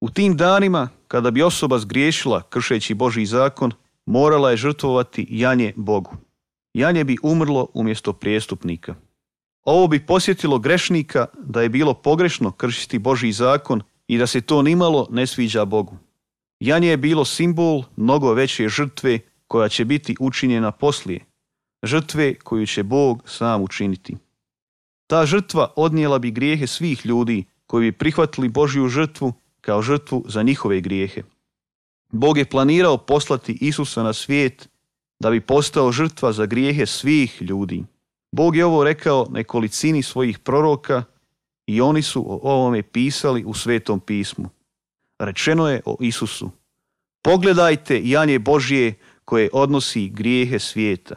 U tim danima, kada bi osoba zgriješila kršeći Božji zakon, morala je žrtvovati janje Bogu. Janje bi umrlo umjesto prijestupnika. Ovo bi podsjetilo grešnika da je bilo pogrešno kršiti Božji zakon i da se to nimalo ne sviđa Bogu. Janje je bilo simbol mnogo veće žrtve koja će biti učinjena poslije, žrtve koju će Bog sam učiniti. Ta žrtva odnijela bi grijehe svih ljudi koji bi prihvatili Božju žrtvu kao žrtvu za njihove grijehe. Bog je planirao poslati Isusa na svijet da bi postao žrtva za grijehe svih ljudi. Bog je ovo rekao nekolicini svojih proroka i oni su o ovome pisali u Svetom pismu. Rečeno je o Isusu: pogledajte janje Božje koje odnosi grijehe svijeta.